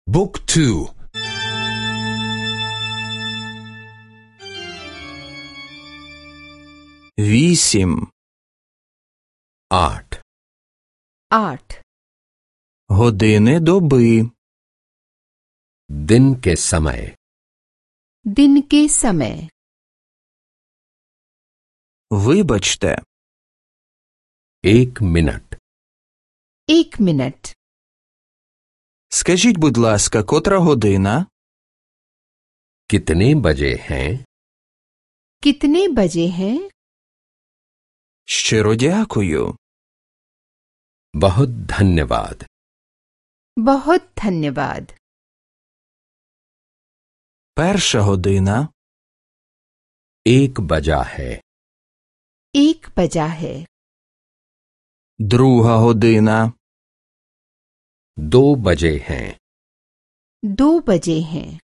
Book 2. Вісім. 8. 8. Години доби. दिन के समय. दिन के समय. Вибачте. 1 मिनट. 1 मिनट. Скажіть, будь ласка, котра година? कितने बजे हैं? कितने बजे हैं? Щиро дякую. बहुत धन्यवाद. बहुत धन्यवाद. Перша година. 1 बजा है. 1 बजा है. Друга година. 2 बजे हैं. 2 बजे हैं.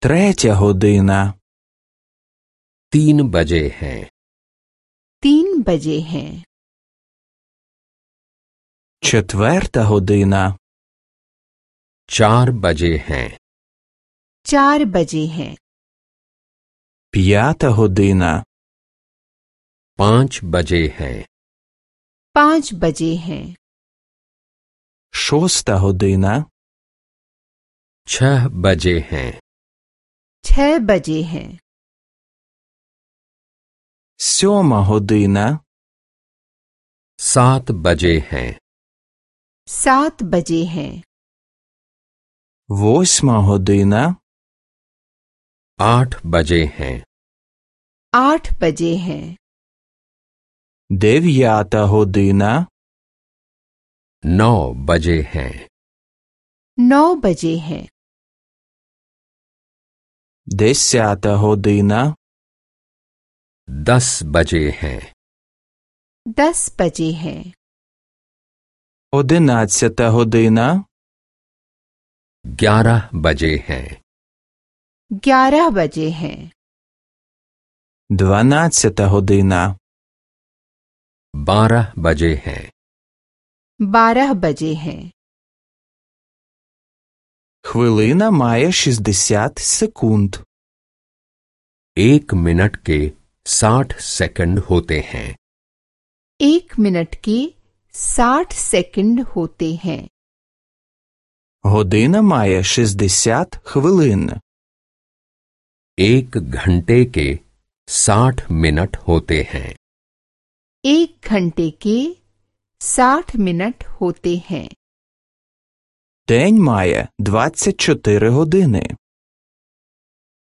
Третя година. 3 बजे हैं. 3 बजे हैं. Четверта година. 4 बजे हैं. 4 बजे हैं. П'ята година. 5 बजे हैं. 5 बजे हैं. Шоста година. 6 बजे हैं. 6 बजे हैं. Сьома година. 7 बजे हैं. 7 बजे हैं. Восьма година. 8 बजे हैं. 8 बजे हैं. Дев'ята година. 9 बजे हैं. 9 बजे हैं. Десята година. 10 बजे हैं. 10 बजे हैं. 11 година. 11 बजे हैं. 11 बजे हैं. 12 година. 12 बजे हैं. 12 बजे हैं. Хвилина має 60 секунд. 1 मिनट के 60 सेकंड होते हैं. 1 मिनट के 60 सेकंड होते हैं. Година має 60 хвилин. 1 घंटे के 60 मिनट होते हैं. 1 घंटे के 60 मिनट होते हैं. День має 24 години.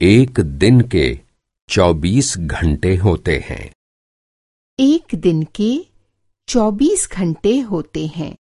1 दिन के 24 घंटे होते हैं. 1 दिन के 24 घंटे होते हैं.